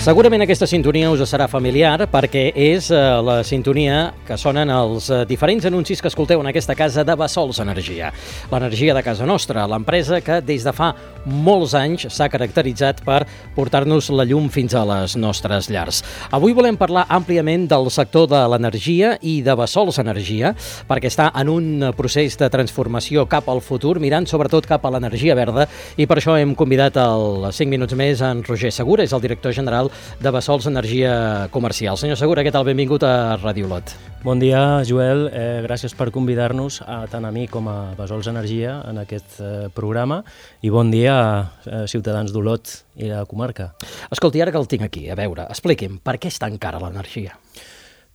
Segurament aquesta sintonia us serà familiar perquè és la sintonia que sonen els diferents anuncis que escolteu en aquesta casa de Bassols Energia. L'energia de casa nostra, l'empresa que des de fa molts anys s'ha caracteritzat per portar-nos la llum fins a les nostres llars. Avui volem parlar àmpliament del sector de l'energia i de Bassols Energia perquè està en un procés de transformació cap al futur, mirant sobretot cap a l'energia verda, i per això hem convidat al 5 minuts més en Roger Segura, és el director general de Bassols Energia Comercial. Senyor Segura, què tal? Benvingut a Ràdio Olot. Bon dia, Joel. Gràcies per convidar-nos tant a mi com a Bassols Energia en aquest programa, i bon dia a ciutadans d'Olot i la comarca. Escolti, ara que el tinc aquí, a veure, expliqui'm, per què és tan cara l'energia?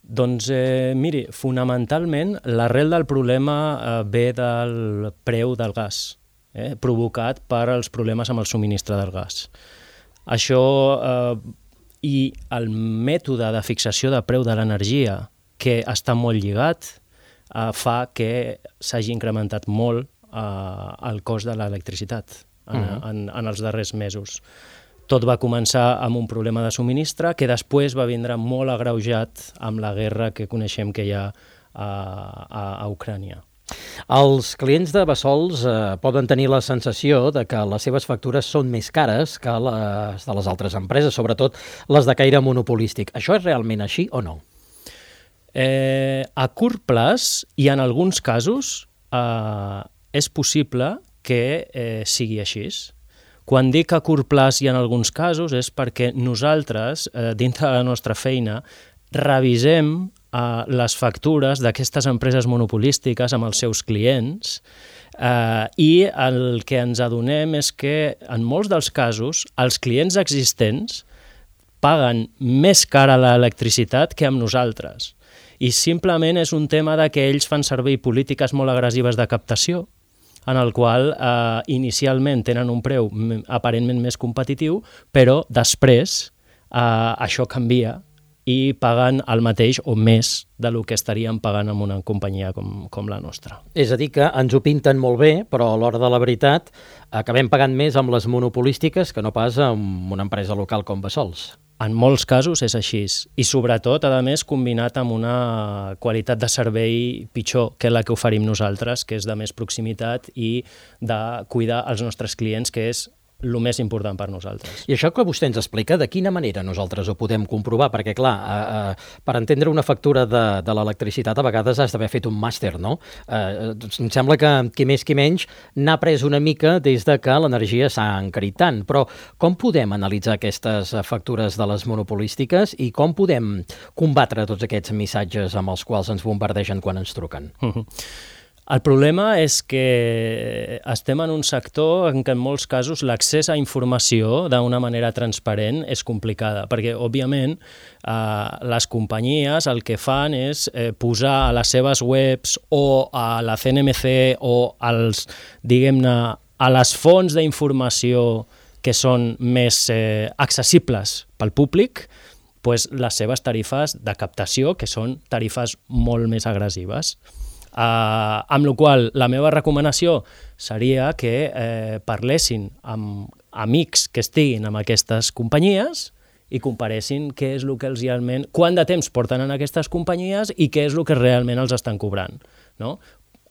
Doncs, miri, fonamentalment l'arrel del problema ve del preu del gas, provocat per els problemes amb el subministre del gas. Això i el mètode de fixació de preu de l'energia, que està molt lligat, fa que s'hagi incrementat molt el cost de l'electricitat en els darrers mesos. Tot va començar amb un problema de subministre que després va vindre molt agreujat amb la guerra que coneixem que hi ha a Ucrània. Els clients de Bassols poden tenir la sensació de que les seves factures són més cares que les de les altres empreses, sobretot les de caire monopolístic. Això és realment així o no? A curt plaç, i en alguns casos, és possible que sigui així. Quan dic a curt plaç i en alguns casos és perquè nosaltres, dintre de la nostra feina, revisem les factures d'aquestes empreses monopolístiques amb els seus clients, i el que ens adonem és que en molts dels casos els clients existents paguen més cara l'electricitat que amb nosaltres, i simplement és un tema de que ells fan servir polítiques molt agressives de captació, en el qual inicialment tenen un preu aparentment més competitiu, però després això canvia i paguen el mateix o més del que estaríem pagant amb una companyia com la nostra. És a dir, que ens ho pinten molt bé, però a l'hora de la veritat acabem pagant més amb les monopolístiques que no pas amb una empresa local com Bassols. En molts casos és així, i sobretot, a més, combinat amb una qualitat de servei pitjor que la que oferim nosaltres, que és de més proximitat i de cuidar els nostres clients, que és el més important per nosaltres. I això que vostè ens explica, de quina manera nosaltres ho podem comprovar? Perquè, clar, per entendre una factura de l'electricitat a vegades has d'haver fet un màster, no? Em sembla que qui més qui menys n'ha pres una mica des de que l'energia s'ha encarit tant. Però com podem analitzar aquestes factures de les monopolístiques i com podem combatre tots aquests missatges amb els quals ens bombardegen quan ens truquen? El problema és que estem en un sector en què en molts casos l'accés a informació d'una manera transparent és complicada, perquè, òbviament, les companyies el que fan és posar a les seves webs o a la CNMC o diguem-ne, a les fonts d'informació que són més accessibles pel públic, les seves tarifes de captació, que són tarifes molt més agressives. Amb la qual cosa, la meva recomanació seria que parlessin amb amics que estiguin amb aquestes companyies i comparessin què és el que realment, quant de temps porten en aquestes companyies i què és el que realment els estan cobrant, no?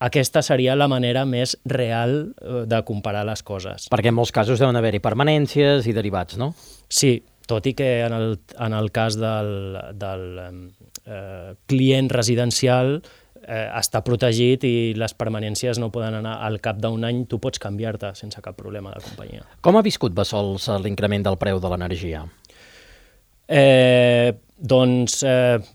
Aquesta seria la manera més real de comparar les coses. Perquè en molts casos deuen haver-hi permanències i derivats, no? Sí, tot i que en el cas del client residencial està protegit i les permanències no poden anar al cap d'un any, tu pots canviar-te sense cap problema de companyia. Com ha viscut Bassols l'increment del preu de l'energia? Doncs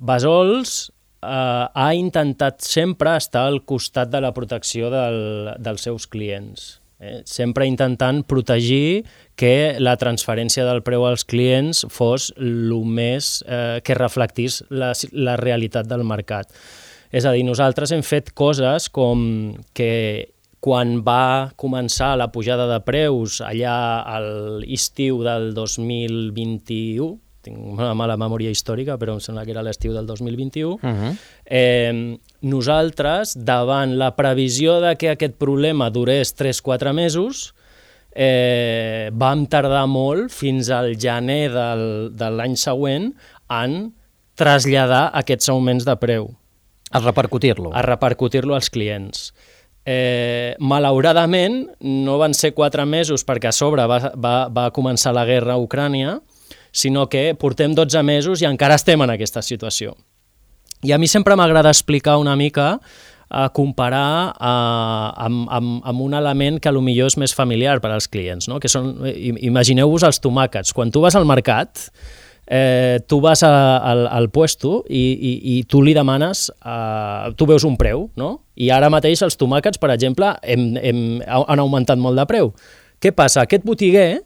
Bassols ha intentat sempre estar al costat de la protecció dels seus clients, sempre intentant protegir que la transferència del preu als clients fos el més que reflectís la realitat del mercat. És a dir, nosaltres hem fet coses com que quan va començar la pujada de preus allà a l'estiu del 2021, tinc una mala memòria històrica, però em sembla que era l'estiu del 2021, nosaltres, davant la previsió de que aquest problema durés 3-4 mesos, vam tardar molt fins al gener de l'any següent en traslladar aquests augments de preu. A repercutir-lo. A repercutir-lo als clients. Malauradament, no van ser 4 mesos perquè a sobre va començar la guerra a Ucrània, sinó que portem 12 mesos i encara estem en aquesta situació. I a mi sempre m'agrada explicar una mica, comparar amb un element que potser és més familiar per als clients, no? Que són, imagineu-vos els tomàquets. Quan tu vas al mercat, tu vas al puesto i tu li demanes, tu veus un preu, no? I ara mateix els tomàquets, per exemple, han augmentat molt de preu. Què passa? Aquest botiguer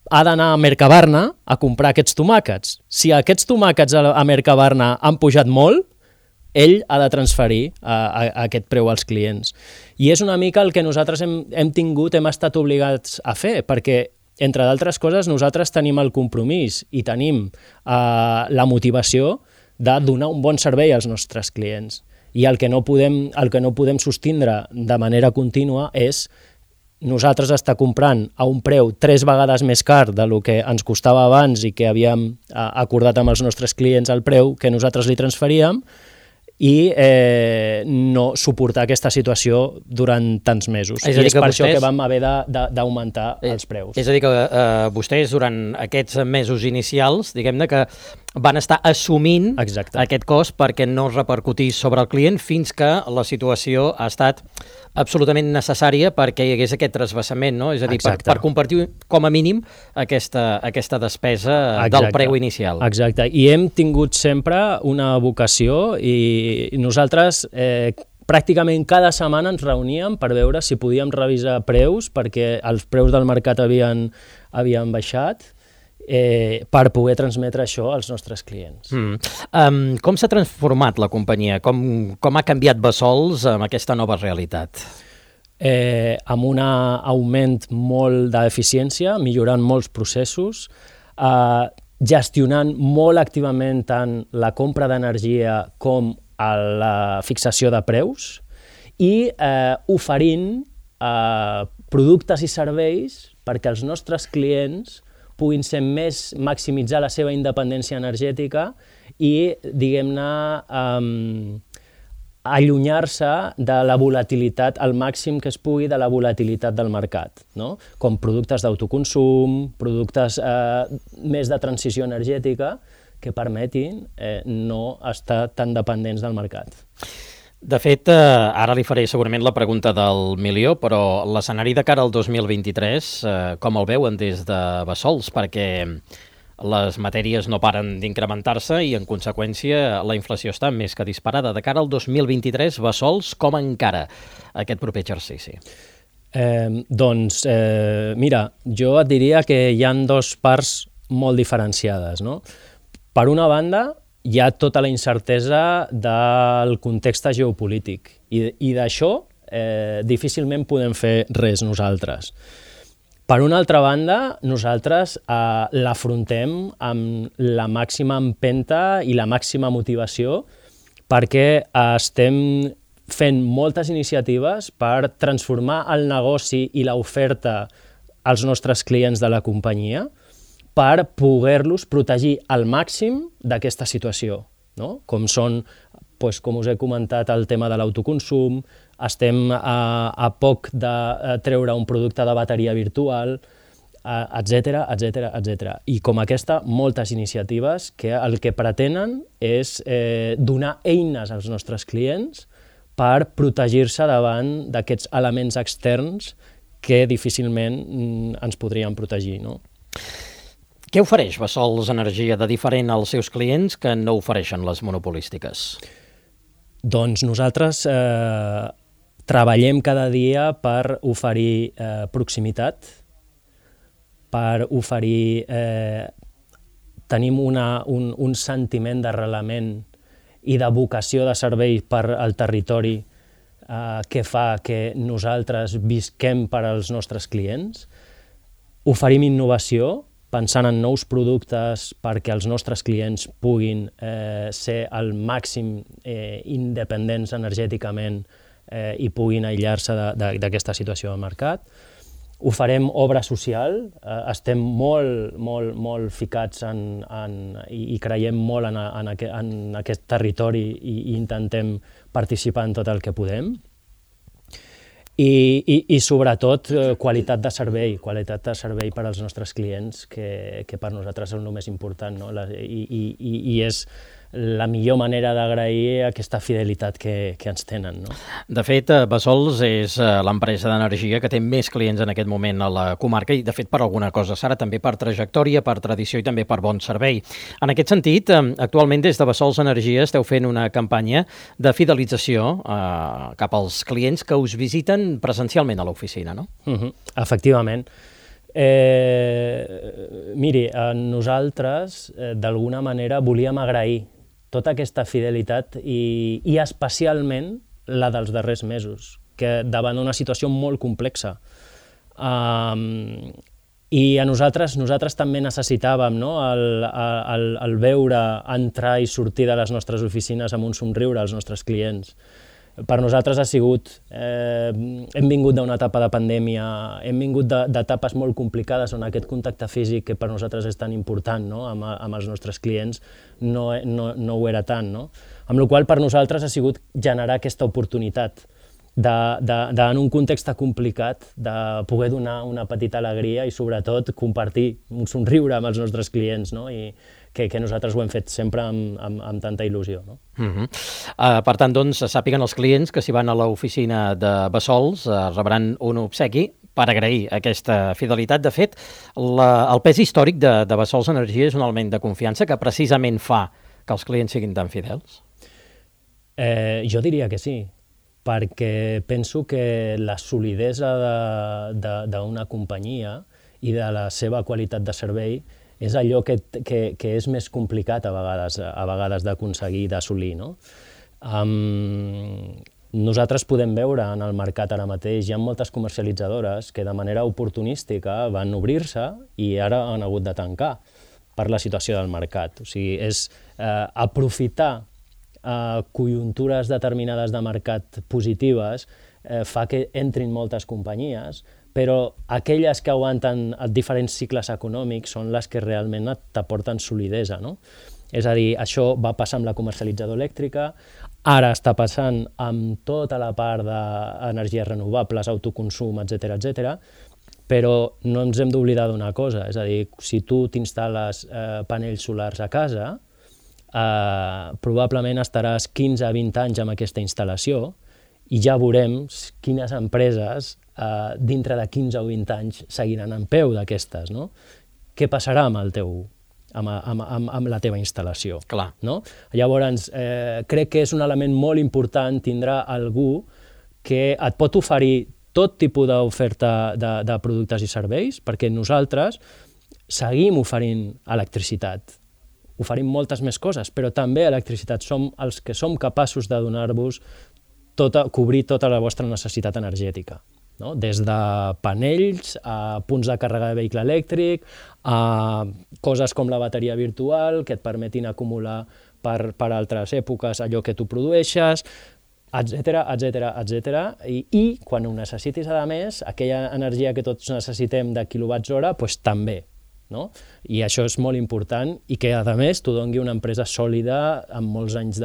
ha d'anar a Mercabarna a comprar aquests tomàquets. Si aquests tomàquets a Mercabarna han pujat molt, ell ha de transferir aquest preu als clients. I és una mica el que nosaltres hem estat obligats a fer, perquè, entre d'altres coses, nosaltres tenim el compromís i tenim la motivació de donar un bon servei als nostres clients. I el que no podem sostindre de manera contínua és nosaltres estar comprant a un preu 3 vegades més car del que ens costava abans i que havíem acordat amb els nostres clients el preu que nosaltres li transferíem i no suportar aquesta situació durant tants mesos. I és per això que vam haver d'augmentar els preus. És a dir, que vostès durant aquests mesos inicials, diguem-ne que van estar assumint aquest cost perquè no repercutís sobre el client fins que la situació ha estat absolutament necessària perquè hi hagués aquest trasbassament, no? És a dir, per compartir com a mínim aquesta despesa del preu inicial. Exacte, i hem tingut sempre una vocació i nosaltres pràcticament cada setmana ens reuníem per veure si podíem revisar preus perquè els preus del mercat havien baixat per poder transmetre això als nostres clients. Com s'ha transformat la companyia? Com ha canviat Bassols amb aquesta nova realitat? Amb un augment molt d'eficiència, millorant molts processos, gestionant molt activament tant la compra d'energia com la fixació de preus i oferint productes i serveis perquè els nostres clients puguin ser maximitzar la seva independència energètica i, diguem-ne, allunyar-se de la volatilitat al màxim que es pugui de la volatilitat del mercat, no? Com productes d'autoconsum, productes més de transició energètica que permetin no estar tan dependents del mercat. De fet, ara li faré segurament la pregunta del milió, però l'escenari de cara al 2023, com el veuen des de Bassols? Perquè les matèries no paren d'incrementar-se i, en conseqüència, la inflació està més que disparada. De cara al 2023, Bassols, com encara aquest proper exercici? Mira, jo et diria que hi ha 2 parts molt diferenciades, no? Per una banda, hi ha tota la incertesa del context geopolític i d'això difícilment podem fer res nosaltres. Per una altra banda, nosaltres l'afrontem amb la màxima empenta i la màxima motivació perquè estem fent moltes iniciatives per transformar el negoci i l'oferta als nostres clients de la companyia per poder-los protegir al màxim d'aquesta situació, no? Com són, com us he comentat, el tema de l'autoconsum, estem a poc de treure un producte de bateria virtual, etc. I com aquesta, moltes iniciatives que el que pretenen és donar eines als nostres clients per protegir-se davant d'aquests elements externs que difícilment ens podrien protegir, no? Què ofereix Bassols Energia de diferent als seus clients que no ofereixen les monopolístiques? Doncs nosaltres treballem cada dia per oferir proximitat, per oferir... tenim un sentiment d'arrelament i de vocació de servei per al territori que fa que nosaltres visquem per als nostres clients. Oferim innovació, pensant en nous productes perquè els nostres clients puguin ser al màxim independents energèticament i puguin aïllar-se d'aquesta situació del mercat. Ho farem obra social, estem molt ficats i creiem molt en aquest territori i intentem participar en tot el que podem. I sobretot qualitat de servei per als nostres clients, que per nosaltres és el més important, no? I és la millor manera d'agrair aquesta fidelitat que ens tenen, no? De fet, Bassols és l'empresa d'energia que té més clients en aquest moment a la comarca i, de fet, per alguna cosa, Sara, també per trajectòria, per tradició i també per bon servei. En aquest sentit, actualment des de Bassols Energia esteu fent una campanya de fidelització cap als clients que us visiten presencialment a l'oficina, no? Efectivament. Miri, nosaltres d'alguna manera volíem agrair tota aquesta fidelitat i especialment la dels darrers mesos, que davant d'una situació molt complexa. I a nosaltres també necessitàvem, no? el veure entrar i sortir de les nostres oficines amb un somriure als nostres clients. Per nosaltres ha sigut, hem vingut d'una etapa de pandèmia, hem vingut d'etapes molt complicades on aquest contacte físic, que per nosaltres és tan important, no? amb els nostres clients, no ho era tant. No? Amb la qual cosa per nosaltres ha sigut generar aquesta oportunitat en un context complicat de poder donar una petita alegria i sobretot compartir un somriure amb els nostres clients, no? I que nosaltres ho hem fet sempre amb tanta il·lusió. No? Per tant, doncs, sàpiguen els clients que si van a l'oficina de Bassols rebran un obsequi per agrair aquesta fidelitat. De fet, el pes històric de Bassols Energia és un element de confiança que precisament fa que els clients siguin tan fidels? Jo diria que sí, perquè penso que la solidesa d'una companyia i de la seva qualitat de servei és allò que és més complicat a vegades d'aconseguir, d'assolir. No? Nosaltres podem veure en el mercat ara mateix, hi ha moltes comercialitzadores que de manera oportunística van obrir-se i ara han hagut de tancar per la situació del mercat. O sigui, és aprofitar conjuntures determinades de mercat positives fa que entrin moltes companyies, però aquelles que aguanten diferents cicles econòmics són les que realment t'aporten solidesa, no? És a dir, això va passar amb la comercialitzadora elèctrica, ara està passant amb tota la part d'energies renovables, autoconsum, etc., però no ens hem d'oblidar d'una cosa, és a dir, si tu t'instal·les panells solars a casa, probablement estaràs 15 a 20 anys amb aquesta instal·lació i ja veurem quines empreses dintre de 15 o 20 anys seguiran en peu d'aquestes, no? Què passarà amb la teva instal·lació? Clar. No? Llavors, crec que és un element molt important tindrà algú que et pot oferir tot tipus d'oferta de productes i serveis, perquè nosaltres seguim oferint electricitat, oferim moltes més coses, però també electricitat. Som els que som capaços de donar-vos cobrir tota la vostra necessitat energètica. No? Des de panells a punts de càrrega de vehicle elèctric, a coses com la bateria virtual que et permetin acumular per altres èpoques allò que tu produeixes, etc. I quan ho necessitis, a més, aquella energia que tots necessitem de quilowatts-hora, doncs també. No? I això és molt important i que, a més, t'ho doni una empresa sòlida amb molts anys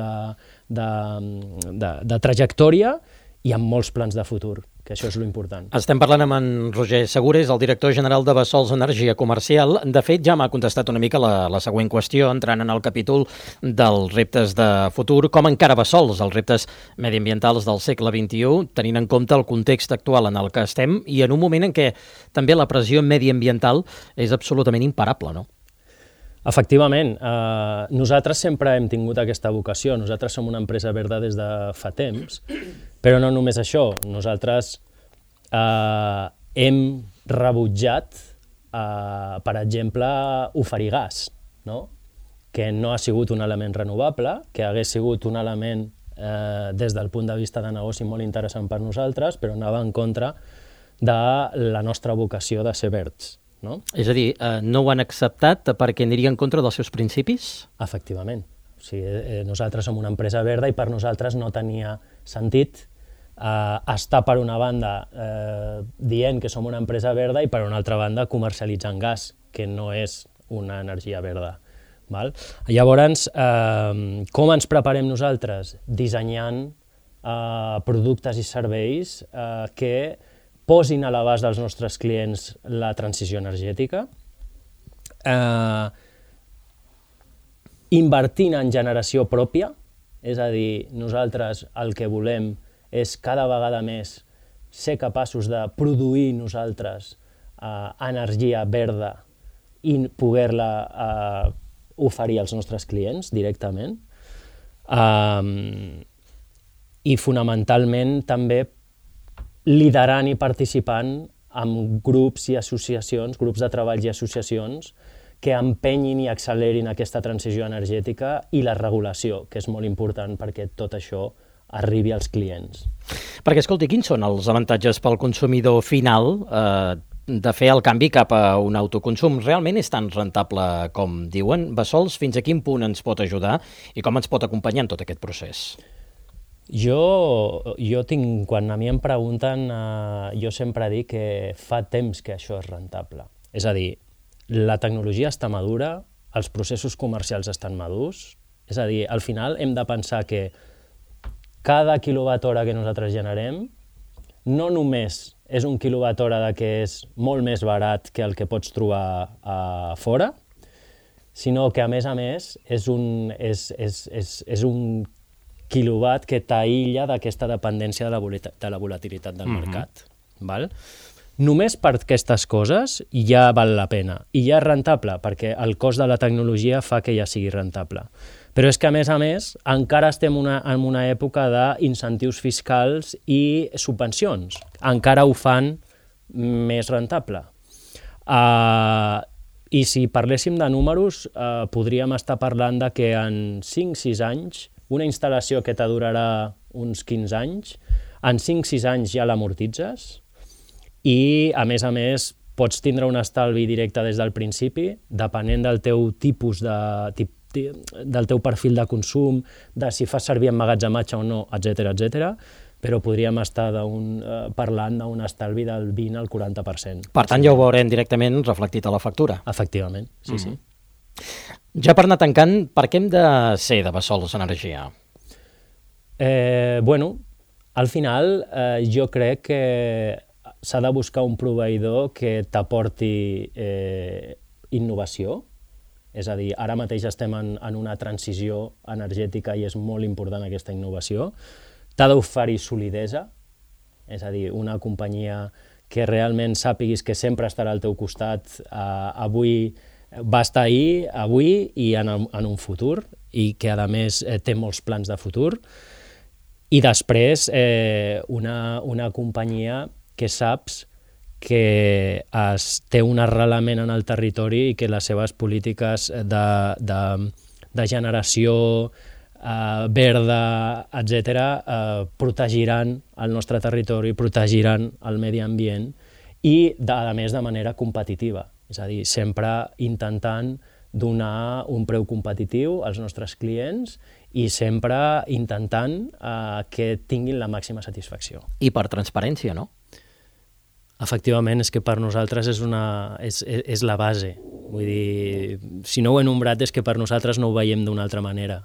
de trajectòria i amb molts plans de futur, que això és l'important. Estem parlant amb en Roger Segures, el director general de Bassols Energia Comercial. De fet, ja m'ha contestat una mica la següent qüestió, entrant en el capítol dels reptes de futur, com encara Bassols, els reptes mediambientals del segle XXI, tenint en compte el context actual en el que estem i en un moment en què també la pressió mediambiental és absolutament imparable, no? Efectivament, nosaltres sempre hem tingut aquesta vocació, nosaltres som una empresa verda des de fa temps, però no només això, nosaltres hem rebutjat, per exemple, oferir gas, no? Que no ha sigut un element renovable, que hagués sigut un element des del punt de vista de negoci molt interessant per nosaltres, però anava en contra de la nostra vocació de ser verds. No? És a dir, no ho han acceptat perquè aniria en contra dels seus principis? Efectivament. O sigui, nosaltres som una empresa verda i per nosaltres no tenia sentit està per una banda dient que som una empresa verda i per una altra banda comercialitzant gas, que no és una energia verda. Val? Llavors, com ens preparem nosaltres? Dissenyant productes i serveis que posin a l'abast dels nostres clients la transició energètica, invertint en generació pròpia, és a dir, nosaltres el que volem és cada vegada més ser capaços de produir nosaltres energia verda i poder-la oferir als nostres clients directament. I fonamentalment també liderant i participant en grups i associacions, grups de treball i associacions que empenyin i accelerin aquesta transició energètica i la regulació, que és molt important perquè tot això arribi als clients. Perquè, escolti, quins són els avantatges pel consumidor final de fer el canvi cap a un autoconsum? Realment és tan rentable com diuen? Bessols, fins a quin punt ens pot ajudar i com ens pot acompanyar en tot aquest procés? Jo tinc, quan a mi em pregunten, jo sempre dic que fa temps que això és rentable. És a dir, la tecnologia està madura, els processos comercials estan madurs, és a dir, al final hem de pensar que cada quilowatt-hora que nosaltres generem no només és un quilowatt-hora que és molt més barat que el que pots trobar a fora, sinó que a més és un quilowatt que t'aïlla d'aquesta dependència de la volatilitat del mercat. Val? Només per aquestes coses ja val la pena i ja és rentable, perquè el cost de la tecnologia fa que ja sigui rentable. Però és que, a més, encara estem en una època d'incentius fiscals i subvencions. Encara ho fan més rentable. I si parléssim de números, podríem estar parlant de que en 5-6 anys, una instal·lació que t'adurarà uns 15 anys, en 5-6 anys ja l'amortitzes i, a més, pots tindre un estalvi directe des del principi, depenent del teu tipus del teu perfil de consum, de si fas servir emmagatzematge o no, etc. Però podríem estar parlant d'un estalvi del 20 al 40%. Per tant, ja ho veurem directament reflectit a la factura. Efectivament, sí. Ja per anar tancant, per què hem de ser de Bessols Energia? Al final jo crec que s'ha de buscar un proveïdor que t'aporti innovació. És a dir, ara mateix estem en una transició energètica i és molt important aquesta innovació. T'ha d'oferir solidesa, és a dir, una companyia que realment sàpiguis que sempre estarà al teu costat, avui va estar ahir, avui i en un futur, i que a més té molts plans de futur. I després una companyia que saps que té un arrelament en el territori i que les seves polítiques de generació verda, etc., protegiran el nostre territori, protegiran el medi ambient i, a més, de manera competitiva. És a dir, sempre intentant donar un preu competitiu als nostres clients i sempre intentant que tinguin la màxima satisfacció. I per transparència, no? Efectivament, és que per nosaltres és la base. Vull dir, si no ho he nombrat és que per nosaltres no ho veiem d'una altra manera.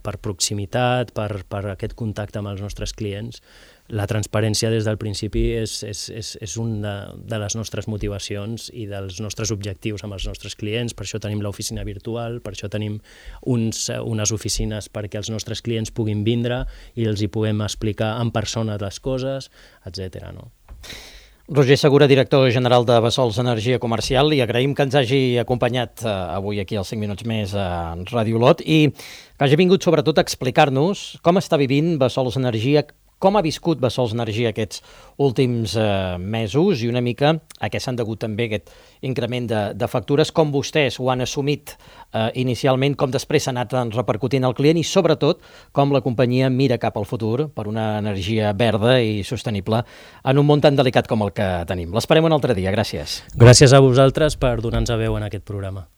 Per proximitat, per aquest contacte amb els nostres clients, la transparència des del principi és una de les nostres motivacions i dels nostres objectius amb els nostres clients. Per això tenim l'oficina virtual, per això tenim unes oficines perquè els nostres clients puguin vindre i els hi puguem explicar en persona les coses, etc. No? Roger Segura, director general de Bessols Energia Comercial, li agraïm que ens hagi acompanyat avui aquí als 5 minuts més a Ràdio Olot i que hagi vingut sobretot a explicar-nos com està vivint Bessols Energia, com ha viscut Bessols Energia aquests últims mesos i una mica a què s'han degut també aquest increment de factures, com vostès ho han assumit inicialment, com després s'ha anat repercutint al client i sobretot com la companyia mira cap al futur per una energia verda i sostenible en un món tan delicat com el que tenim. L'esperem un altre dia. Gràcies. Gràcies a vosaltres per donar-nos veu en aquest programa.